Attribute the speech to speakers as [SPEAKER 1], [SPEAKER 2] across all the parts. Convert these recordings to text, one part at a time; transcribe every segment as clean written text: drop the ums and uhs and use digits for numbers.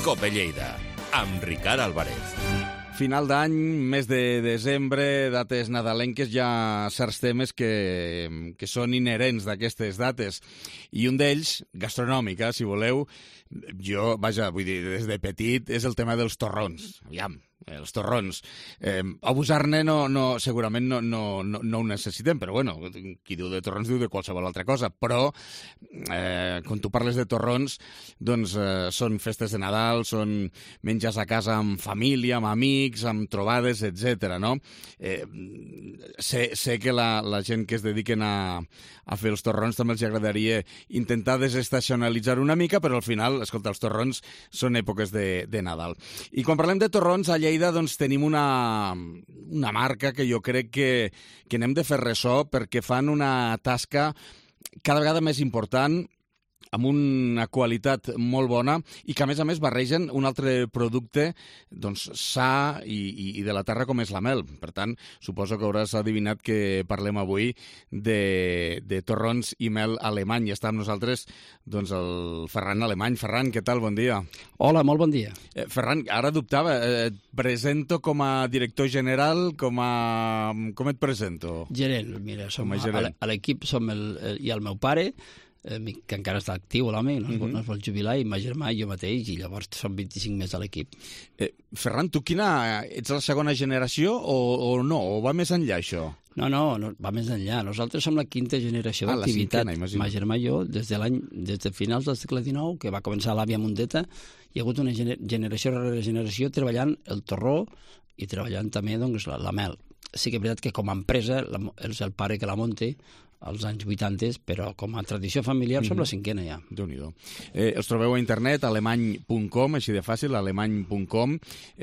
[SPEAKER 1] Cope Lleida, amb Ricard Álvarez.
[SPEAKER 2] Final d'any, mes de desembre, dates nadalenques, hi ha certs temes que són inherents d'aquestes dates. I un d'ells, gastronòmic, si voleu, vull dir, des de petit, és el tema dels torrons. Aviam, els torrons. Abusar-ne segurament no ho necessitem, però bueno, qui diu de torrons diu de qualsevol altra cosa. Però, quan tu parles de torrons, doncs són festes de Nadal, són menjars a casa amb família, amb amics, amb trobades, etc. No? Sé que la gent que es dediquen a fer els torrons també els agradaria intentar desestacionalitzar una mica, però al final, escolta, els torrons són èpoques de Nadal. I quan parlem de torrons, a Lleida doncs, tenim una marca que jo crec que n'hem de fer ressò perquè fan una tasca cada vegada més important, amb una qualitat molt bona i que, a més, barregen un altre producte doncs, sa i de la terra com és la mel. Per tant, suposo que hauràs adivinat que parlem avui de torrons i mel alemany. I està amb nosaltres doncs, el Ferran Alemany. Ferran, què tal? Bon dia.
[SPEAKER 3] Hola, molt bon dia.
[SPEAKER 2] Ferran, ara dubtava. Et presento com a director general, com et presento?
[SPEAKER 3] Gerent, mira, a l'equip som hi ha el meu pare, que encara està actiu, l'home, no es vol jubilar, i ma germà i jo mateix, i llavors són 25 més a l'equip.
[SPEAKER 2] Ferran, tu ets la segona generació o no? O va més enllà, això?
[SPEAKER 3] No, va més enllà. Nosaltres som la quinta generació d'activitat. Ma germà i jo, des de finals del segle XIX, que va començar l'àvia Mundeta, hi ha hagut una generació rere generació treballant el torró i treballant també doncs, la mel. Sí que és veritat que com a empresa és el pare que la munta, als anys 80, però com a tradició familiar som la cinquena ja.
[SPEAKER 2] Déu-n'hi-do. Els trobeu a internet, alemany.com, així de fàcil, alemany.com.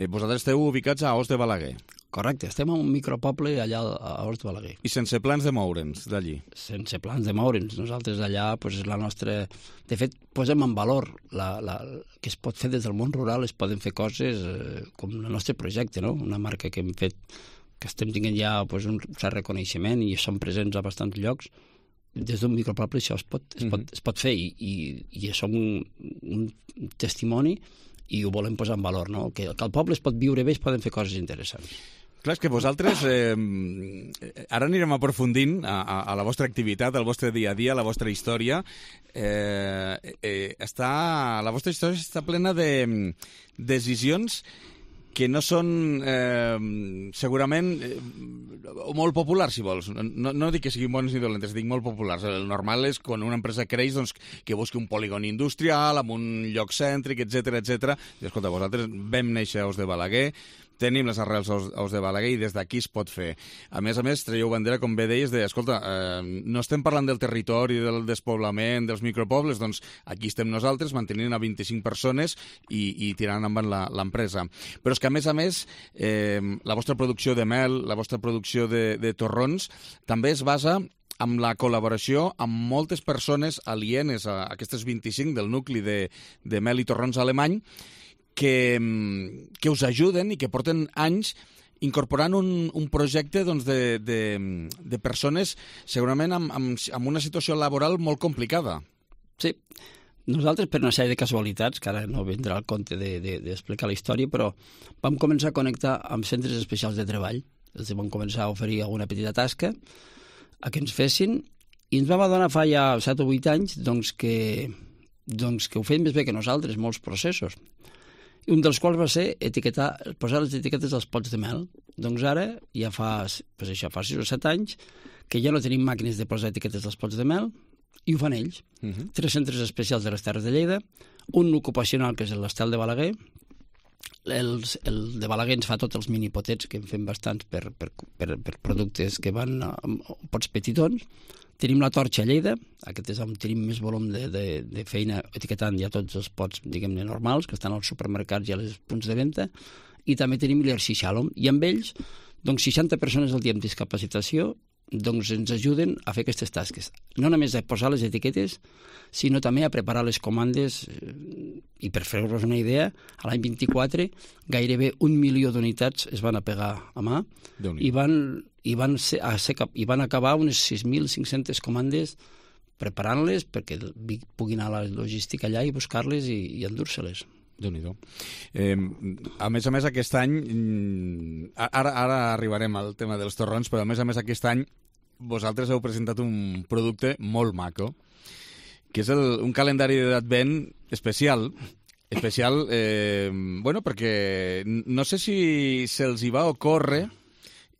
[SPEAKER 2] Vosaltres esteu ubicats a Os de Balaguer.
[SPEAKER 3] Correcte, estem a un micropoble allà a Os de Balaguer.
[SPEAKER 2] I sense plans de moure'ns d'allí?
[SPEAKER 3] Sense plans de moure'ns. Nosaltres allà, és la nostra... De fet, posem en valor que es pot fer des del món rural, es poden fer coses com el nostre projecte, no? Una marca que hem fet que estem tinguent ja un cert reconeixement i som presents a bastants llocs. Des d'un micropoble això es pot fer i som un testimoni i ho volem posar en valor, no? Que el poble es pot viure bé, es poden fer coses interessants.
[SPEAKER 2] Clar, és que vosaltres, ara anirem aprofundint a la vostra activitat, al vostre dia a dia, a la vostra història. La vostra història està plena de decisions que no són segurament molt populars, si vols. No dic que siguin bones ni dolentes, dic molt populars. El normal és quan una empresa creix doncs, que busqui un polígon industrial amb un lloc cèntric, etc. I escolta, vosaltres vam néixer a Os de Balaguer, tenim les arrels a Os de Balaguer i des d'aquí es pot fer. A més, traieu bandera, com bé deies, escolta, no estem parlant del territori, del despoblament, dels micropobles, doncs aquí estem nosaltres, mantenint a 25 persones i tirant endavant l'empresa. Però és que, a més, la vostra producció de mel, la vostra producció de torrons, també es basa amb la col·laboració amb moltes persones alienes a aquestes 25 del nucli de mel i torrons alemany, que us ajuden i que porten anys incorporant un projecte doncs, de persones segurament amb una situació laboral molt complicada.
[SPEAKER 3] Sí. Nosaltres, per una sèrie de casualitats, que ara no vindrà al compte d'explicar la història, però vam començar a connectar amb centres especials de treball. Els vam començar a oferir alguna petita tasca a que ens fessin i ens vam adonar fa ja 7 o 8 anys que ho feien més bé que nosaltres, molts processos. Un dels quals va ser posar les etiquetes dels pots de mel. Doncs ara, ja fa 6 o 7 anys, que ja no tenim màquines de posar etiquetes dels pots de mel, i ho fan ells. 3 centres especials de les Terres de Lleida, un ocupacional, que és l'Estel de Balaguer, el de Balaguer ens fa tots els minipotets, que en fem bastants per productes que van a pots petitons. Tenim la Torxa a Lleida, aquest és on tenim més volum de feina etiquetant ja tots els pots, diguem-ne, normals, que estan als supermercats i als punts de venda, i també tenim l'Hershey Shalom. I amb ells, doncs 60 persones al dia amb discapacitació, doncs ens ajuden a fer aquestes tasques. No només a posar les etiquetes, sinó també a preparar les comandes. I per fer-vos una idea, a l'any 24 gairebé 1 milió d'unitats es van a pegar a mà i van acabar unes 6.500 comandes preparant-les perquè pugui anar a la logística allà i buscar-les i endur-se-les.
[SPEAKER 2] Déu-n'hi-do. A més, aquest any, ara arribarem al tema dels torrons, però a més aquest any vosaltres heu presentat un producte molt maco, que és un calendari d'advent especial, perquè no sé si se'ls hi va ocórrer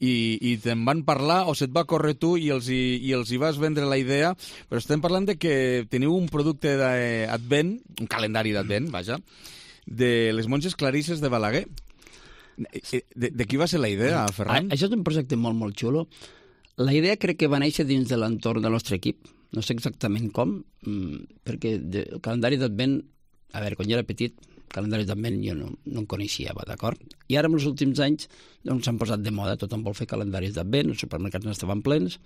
[SPEAKER 2] i te'n van parlar o se't va córrer tu i els hi vas vendre la idea, però estem parlant de que teniu un producte d'advent, un calendari d'advent, vaja, de les monges clarisses de Balaguer. De qui va ser la idea, Ferran?
[SPEAKER 3] Això és un projecte molt, molt xulo. La idea crec que va néixer dins de l'entorn del nostre equip. No sé exactament com, perquè el calendari d'advent, a veure, quan jo era petit, calendaris d'advent jo no en coneixia, d'acord? I ara, en els últims anys, doncs s'han posat de moda, tothom vol fer calendaris d'advent, els supermercats n'estaven plens,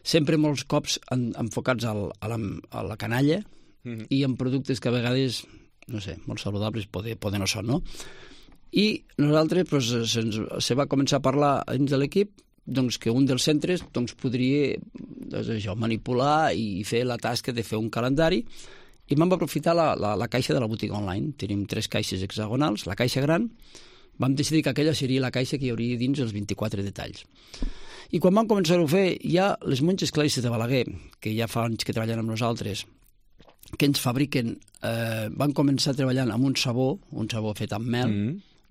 [SPEAKER 3] sempre molts cops enfocats a la canalla i en productes que a vegades, no sé, molt saludables poden no són, no? I nosaltres doncs, se va començar a parlar dins de l'equip doncs, que un dels centres doncs, podria manipular i fer la tasca de fer un calendari. I vam aprofitar la caixa de la botiga online. Tenim 3 caixes hexagonals, la caixa gran. Vam decidir que aquella seria la caixa que hi hauria dins els 24 detalls. I quan vam començar-ho a fer, ja les monges clarisses de Balaguer, que ja fa anys que treballen amb nosaltres, que ens fabriquen, van començar treballant amb un sabó fet amb mel,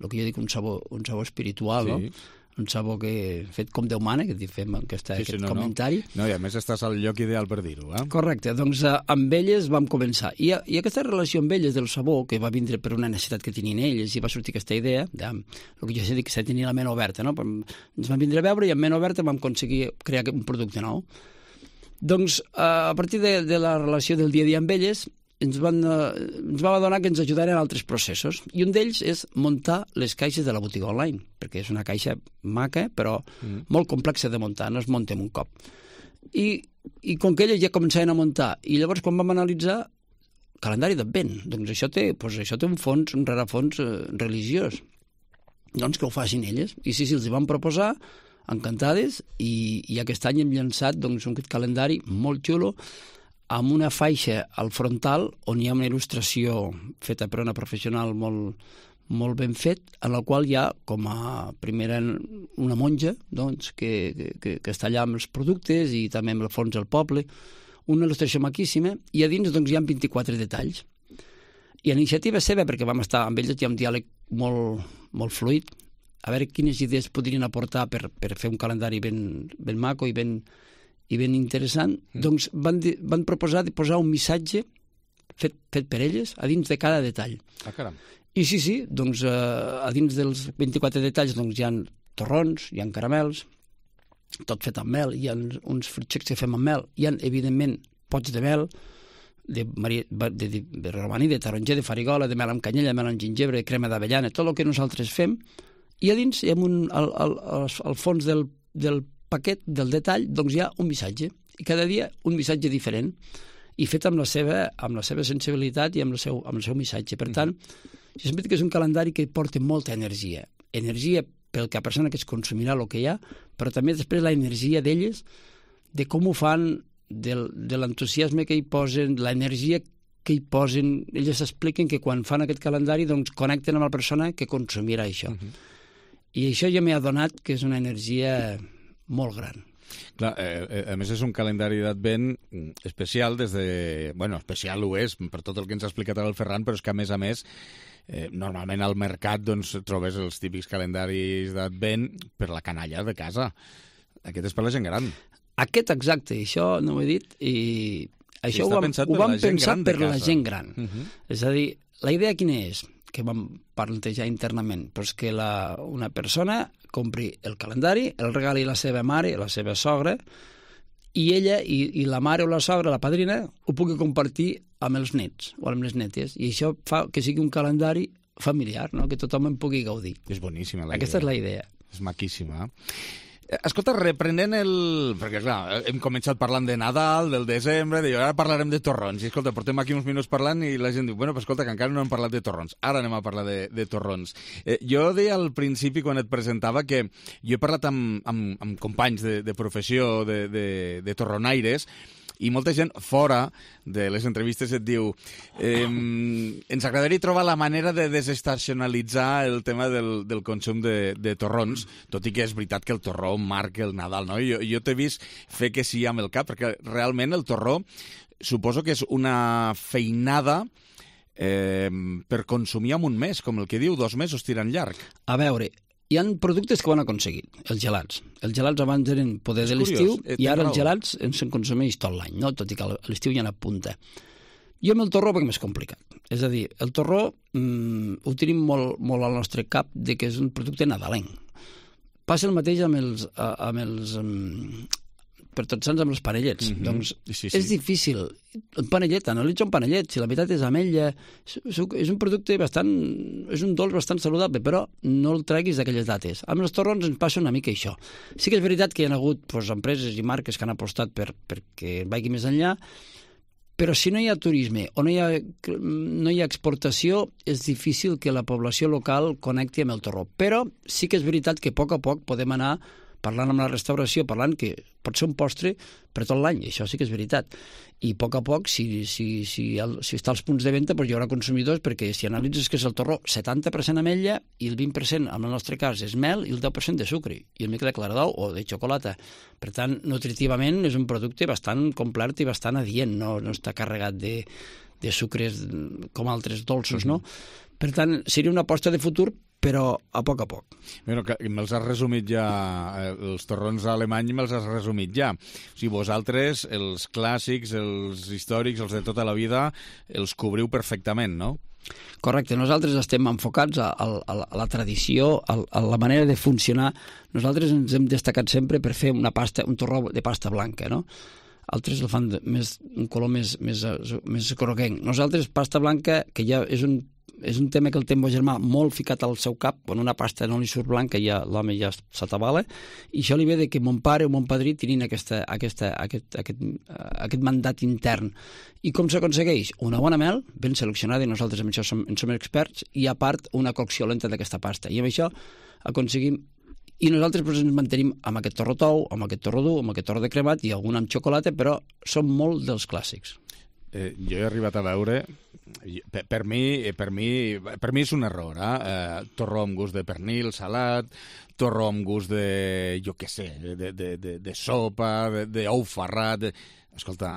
[SPEAKER 3] el que jo dic un sabó espiritual, sí. No? Un sabó fet com Déu mana, que fem aquest comentari.
[SPEAKER 2] No, i a més estàs al lloc ideal per dir-ho.
[SPEAKER 3] Correcte, doncs amb elles vam començar. I aquesta relació amb elles del sabó, que va vindre per una necessitat que tenien elles, i va sortir aquesta idea, el que jo sé que s'ha tenir la ment oberta, no? Ens van vindre a veure i amb ment oberta vam aconseguir crear un producte nou. Doncs a partir de la relació del dia a dia amb elles, ens vam adonar que ens ajudaren en altres processos. I un d'ells és muntar les caixes de la botiga online, perquè és una caixa maca, però molt complexa de muntar, no es munta en un cop. I com que elles ja començaven a muntar, i llavors quan vam analitzar calendari d'advent, doncs això té un rerefons religiós. Doncs que ho facin elles. I sí, els hi vam proposar, encantades, i aquest any hem llançat un calendari molt xulo, amb una faixa al frontal on hi ha una il·lustració feta per una professional molt ben fet, en la qual hi ha com a primera una monja doncs, que està allà amb els productes i també amb el fons del poble, una il·lustració maquíssima, i a dins doncs, hi ha 24 detalls. I a l'iniciativa seva, perquè vam estar amb ells, hi ha un diàleg molt fluid, a veure quines idees podrien aportar per fer un calendari ben maco i ben interessant, doncs van proposar de posar un missatge fet per elles a dins de cada detall.
[SPEAKER 2] Ah, caram.
[SPEAKER 3] I sí, doncs a dins dels 24 detalls doncs, hi ha torrons, hi ha caramels, tot fet amb mel, hi ha uns fruitxecs que fem amb mel, hi ha, evidentment, pots de mel, de romaní, de taronger, de farigola, de mel amb canyella, mel amb gingebre, de crema d'avellana, tot el que nosaltres fem, i a dins, al fons del paquet, del detall, doncs hi ha un missatge, i cada dia un missatge diferent, i fet amb la seva sensibilitat i amb el seu missatge. Per tant, jo sempre dic que és un calendari que porta molta energia pel que a persona que es consumirà el que hi ha, però també després la energia d'elles, de com ho fan, de l'entusiasme que hi posen, l'energia que hi posen. Elles expliquen que quan fan aquest calendari doncs connecten amb la persona que consumirà això. I això ja m'he adonat que és una energia molt gran.
[SPEAKER 2] Clar, a més és un calendari d'advent especial especial ho és per tot el que ens ha explicat ara el Ferran, però és que a més normalment al mercat doncs trobes els típics calendaris d'advent per la canalla de casa. Aquest és per la gent gran.
[SPEAKER 3] Aquest exacte, això no ho he dit, i això ho vam pensar per la gent gran. És a dir, la idea quina és? Que vam plantejar internament, doncs que una persona compri el calendari, el regali a la seva mare, a la seva sogra, i ella, i la mare o la sogra, la padrina, ho pugui compartir amb els nets o amb les netes. I això fa que sigui un calendari familiar, no? Que tothom en pugui gaudir.
[SPEAKER 2] És boníssima la idea.
[SPEAKER 3] Aquesta és la idea.
[SPEAKER 2] És maquíssima. Escolta, reprenent perquè, clar, hem començat parlant de Nadal, del desembre, i ara parlarem de torrons. I, escolta, portem aquí uns minuts parlant i la gent diu, bueno, però escolta, que encara no hem parlat de torrons. Ara anem a parlar de torrons. Jo deia al principi, quan et presentava, que jo he parlat amb companys de professió de torronaires I molta gent fora de les entrevistes et diu ens agradaria trobar la manera de desestacionalitzar el tema del consum de torrons, tot i que és veritat que el torró marca el Nadal, no? Jo t'he vist fer que sí amb el cap, perquè realment el torró suposo que és una feinada per consumir en un mes, com el que diu, 2 mesos tirant llarg.
[SPEAKER 3] A veure, hi ha productes que ho han aconseguit, els gelats. Els gelats abans eren poder de l'estiu i ara els gelats se'n consumeix tot l'any, no? Tot i que a l'estiu ja n'apunta. Jo amb el torró veig més complicat. És a dir, el torró ho tenim molt al nostre cap de que és un producte nadalenc. Passa el mateix amb els per tots sants amb els panellets. Doncs
[SPEAKER 2] sí.
[SPEAKER 3] és difícil. Un panellet, analitza un panellet, si la veritat és ametlla, és un producte bastant, és un dolç bastant saludable, però no el treguis d'aquelles dates. Amb els torrons ens passa una mica això. Sí que és veritat que hi ha hagut empreses i marques que han apostat perquè vagi més enllà, però si no hi ha turisme o no hi ha exportació, és difícil que la població local connecti amb el torró. Però sí que és veritat que a poc podem anar parlant amb la restauració, parlant que pot ser un postre per tot l'any, això sí que és veritat. I a poc, si està als punts de venda, doncs hi haurà consumidors, perquè si analitzes que és el torró 70% ametlla i el 20%, en el nostre cas, és mel i el 10% de sucre, i una mica de claredat o de xocolata. Per tant, nutritivament és un producte bastant complet i bastant adient, no està carregat de sucres com altres dolços, no? Per tant, seria una aposta de futur, però a poc.
[SPEAKER 2] Bueno, me'ls has resumit ja, els torrons alemanys me'ls has resumit ja. O sigui, vosaltres, els clàssics, els històrics, els de tota la vida, els cobriu perfectament, no?
[SPEAKER 3] Correcte, nosaltres estem enfocats a la tradició, a la manera de funcionar. Nosaltres ens hem destacat sempre per fer un torró de pasta blanca, no? Altres el fan un color més groguenc. Nosaltres, pasta blanca, que ja és un tema que el té el meu germà molt ficat al seu cap, quan una pasta no li surt blanca ja l'home ja s'atabala, i això li ve de que mon pare o mon padrí tenien aquest mandat intern. I com s'aconsegueix? Una bona mel, ben seleccionada, i nosaltres amb això en som experts, i a part una cocció lenta d'aquesta pasta. I amb això aconseguim. I nosaltres ens mantenim amb aquest torró tou, amb aquest torró dur, amb aquest torró de cremat i algun amb xocolata, però són molt dels clàssics.
[SPEAKER 2] Jo he arribat a veure, per mi és un error, torró amb gust de pernil, salat, torró amb gust de, jo què sé, de sopa, d'ou ferrat. Escolta,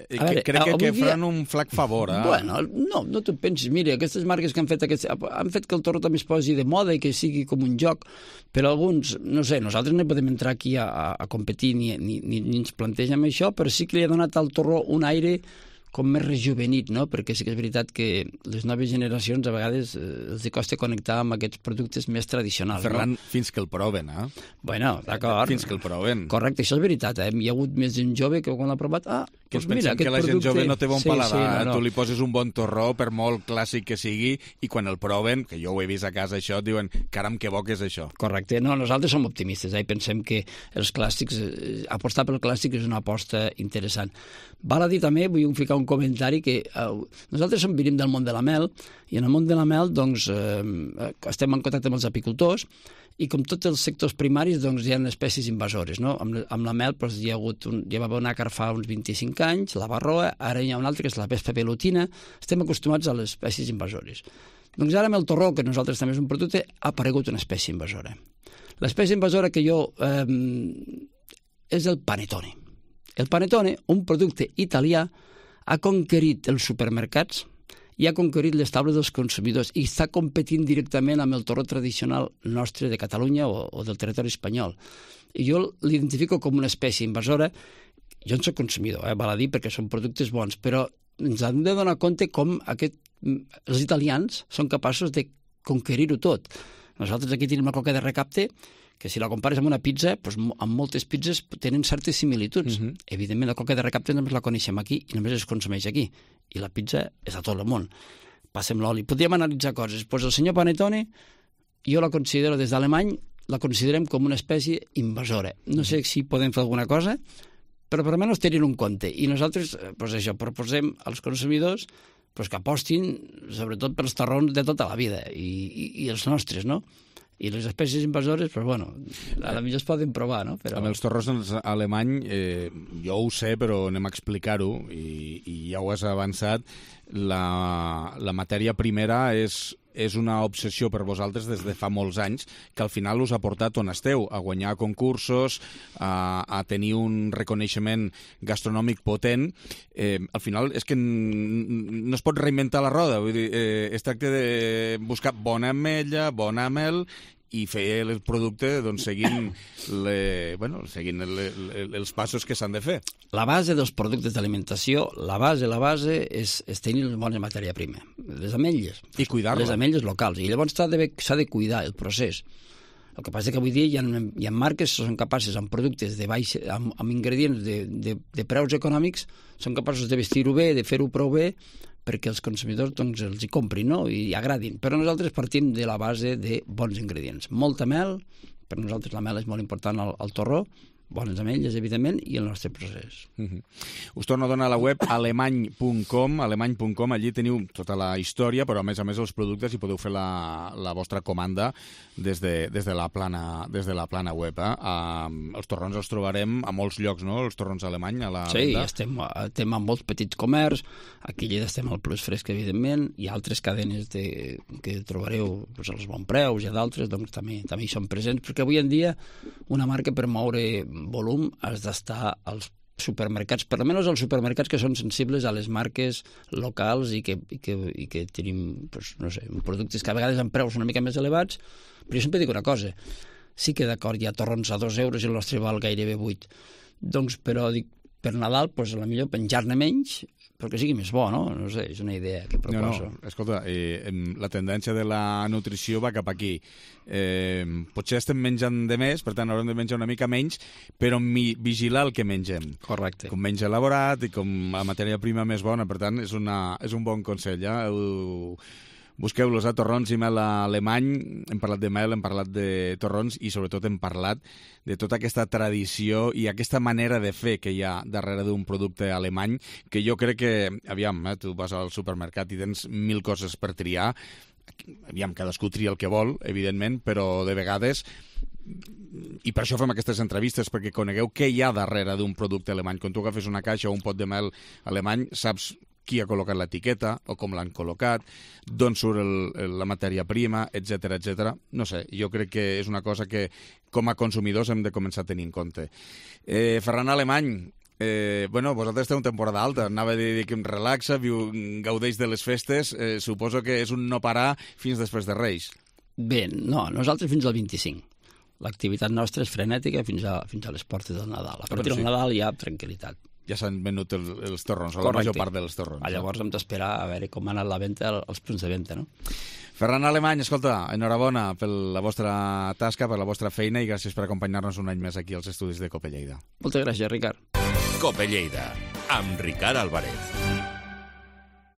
[SPEAKER 2] crec que faran un flac favor.
[SPEAKER 3] Bueno, no t'ho pensis. Mira, aquestes marques que han fet que el torró també es posi de moda i que sigui com un joc, però alguns, no sé, nosaltres no podem entrar aquí a competir ni ens plantegem això, però sí que li ha donat al torró un aire com més rejuvenit, no? Perquè sí que és veritat que les noves generacions a vegades els costa connectar amb aquests productes més tradicionals.
[SPEAKER 2] Ferran, no? Fins que el proven,
[SPEAKER 3] Bueno, d'acord.
[SPEAKER 2] Fins que el proven.
[SPEAKER 3] Correcte, això és veritat, Hi ha hagut més d'un jove que quan l'ha provat,
[SPEAKER 2] que doncs mira, que la gent jove no té bon paladar, tu li poses un bon torró, per molt clàssic que sigui, i quan el proven, que jo ho he vist a casa això, diuen, caram, que bo que és això.
[SPEAKER 3] Correcte, no, nosaltres som optimistes, i pensem que els clàssics, apostar pel clàssic és una aposta interessant. Val a dir també, vull ficar un comentari, que nosaltres venim del món de la mel, i en el món de la mel doncs, estem en contacte amb els apicultors, i com tots els sectors primaris doncs, hi ha espècies invasores. No? Amb la mel doncs, ja va haver una carn fa uns 25 anys, la barroa, ara hi ha una altra que és la vespa velutina. Estem acostumats a les espècies invasores. Doncs ara amb el torró, que nosaltres també és un producte, ha aparegut una espècie invasora. L'espècie invasora que jo és el panettone. El panettone, un producte italià, ha conquerit els supermercats i ha conquerit les taules dels consumidors i està competint directament amb el torró tradicional nostre de Catalunya o del territori espanyol. I jo l'identifico com una espècie invasora. Jo en soc consumidor, val a dir, perquè són productes bons, però ens hem de donar compte com els italians són capaços de conquerir-ho tot. Nosaltres aquí tenim la coca de recapte, que si la compares amb una pizza, doncs amb moltes pizzas tenen certes similituds. Evidentment, la coca de recapte només la coneixem aquí i només es consumeix aquí. I la pizza és a tot el món. Passem l'oli. Podríem analitzar coses. Doncs el senyor Panettone, jo la considero des d'alemany, la considerem com una espècie invasora. No sé si podem fer alguna cosa, però per almenys tenir un compte. I nosaltres, doncs això, proposem als consumidors que apostin sobretot pels torrons de tota la vida i els nostres, no? I les espècies invasores, doncs, bueno, a la millor es poden provar, no? Però...
[SPEAKER 2] Amb els torrons alemany, jo ho sé, però anem a explicar-ho, i ja ho has avançat, la matèria primera és una obsessió per vosaltres des de fa molts anys, que al final us ha portat on esteu, a guanyar concursos, a tenir un reconeixement gastronòmic potent. Al final és que no es pot reinventar la roda, vull dir, es tracta de buscar bona ametlla, bona mel, i fer el producte doncs, seguint els passos que s'han de fer.
[SPEAKER 3] La base dels productes d'alimentació, la base és tenir una bona matèria prima. Les ametlles.
[SPEAKER 2] I cuidar-la.
[SPEAKER 3] Les ametlles locals. I llavors s'ha de cuidar el procés. El que passa que avui dia hi ha marques que són capaces, amb productes de baix, amb ingredients de preus econòmics, són capaços de vestir-ho bé, de fer-ho prou bé, perquè els consumidors doncs, els hi comprin, no? I agradin. Però nosaltres partim de la base de bons ingredients. Molta mel, per nosaltres la mel és molt important al torró, bones ametlles, evidentment, i el nostre procés.
[SPEAKER 2] Us torno a donar la web alemany.com, allí teniu tota la història, però a més els productes i podeu fer la vostra comanda des de la plana web. Els torrons els trobarem a molts llocs, no?, els torrons alemany a la venda.
[SPEAKER 3] Sí, estem en molts petits comerç, aquí a Lleida estem al Plus Fresc, evidentment, hi ha altres cadenes que trobareu doncs, als Bon Preus i a d'altres, doncs també hi són presents, perquè avui en dia una marca per moure volum has d'estar als supermercats, per almenys als supermercats que són sensibles a les marques locals i que tenim, doncs, no sé, productes que a vegades amb preus una mica més elevats, però jo sempre dic una cosa, sí que d'acord, hi ha torrons a 2 euros i el nostre val gairebé 8, doncs, però dic, per Nadal, doncs, a la millor penjar-ne menys, perquè sigui més bo, no? No sé, és una idea que proposo.
[SPEAKER 2] No, escolta, la tendència de la nutrició va cap aquí. Potser estem menjant de més, per tant haurem de menjar una mica menys, però vigilar el que mengem.
[SPEAKER 3] Correcte.
[SPEAKER 2] Com menys elaborat i com la matèria prima més bona, per tant, és un bon consell, ja? Busqueu-los a torrons i mel alemany. Hem parlat de mel, hem parlat de torrons i sobretot hem parlat de tota aquesta tradició i aquesta manera de fer que hi ha darrere d'un producte alemany, que jo crec que, aviam, tu vas al supermercat i tens 1000 coses per triar, aviam, cadascú tria el que vol, evidentment, però de vegades, i per això fem aquestes entrevistes, perquè conegueu què hi ha darrere d'un producte alemany. Quan tu agafes una caixa o un pot de mel alemany, saps qui ha col·locat l'etiqueta o com l'han col·locat, d'on surt la matèria prima, etc. No sé, jo crec que és una cosa que com a consumidors hem de començar a tenir en compte. Ferran Alemany, vosaltres esteu en temporada alta, anava a dir que em relaxa, gaudeix de les festes, suposo que és un no parar fins després de Reis.
[SPEAKER 3] Bé, no, nosaltres fins al 25. L'activitat nostra és frenètica fins a les portes del Nadal. A partir del Nadal hi ha tranquil·litat.
[SPEAKER 2] Ja s'han venut els torrons, o la major part dels torrons.
[SPEAKER 3] Llavors hem d'esperar a veure com ha anat la venda, els punts de venda, no?
[SPEAKER 2] Ferran Alemany, escolta, enhorabona per la vostra tasca, per la vostra feina i gràcies per acompanyar-nos un any més aquí als estudis de Cope Lleida.
[SPEAKER 3] Moltes gràcies, Ricard.
[SPEAKER 1] Cope Lleida, amb Ricard Álvarez.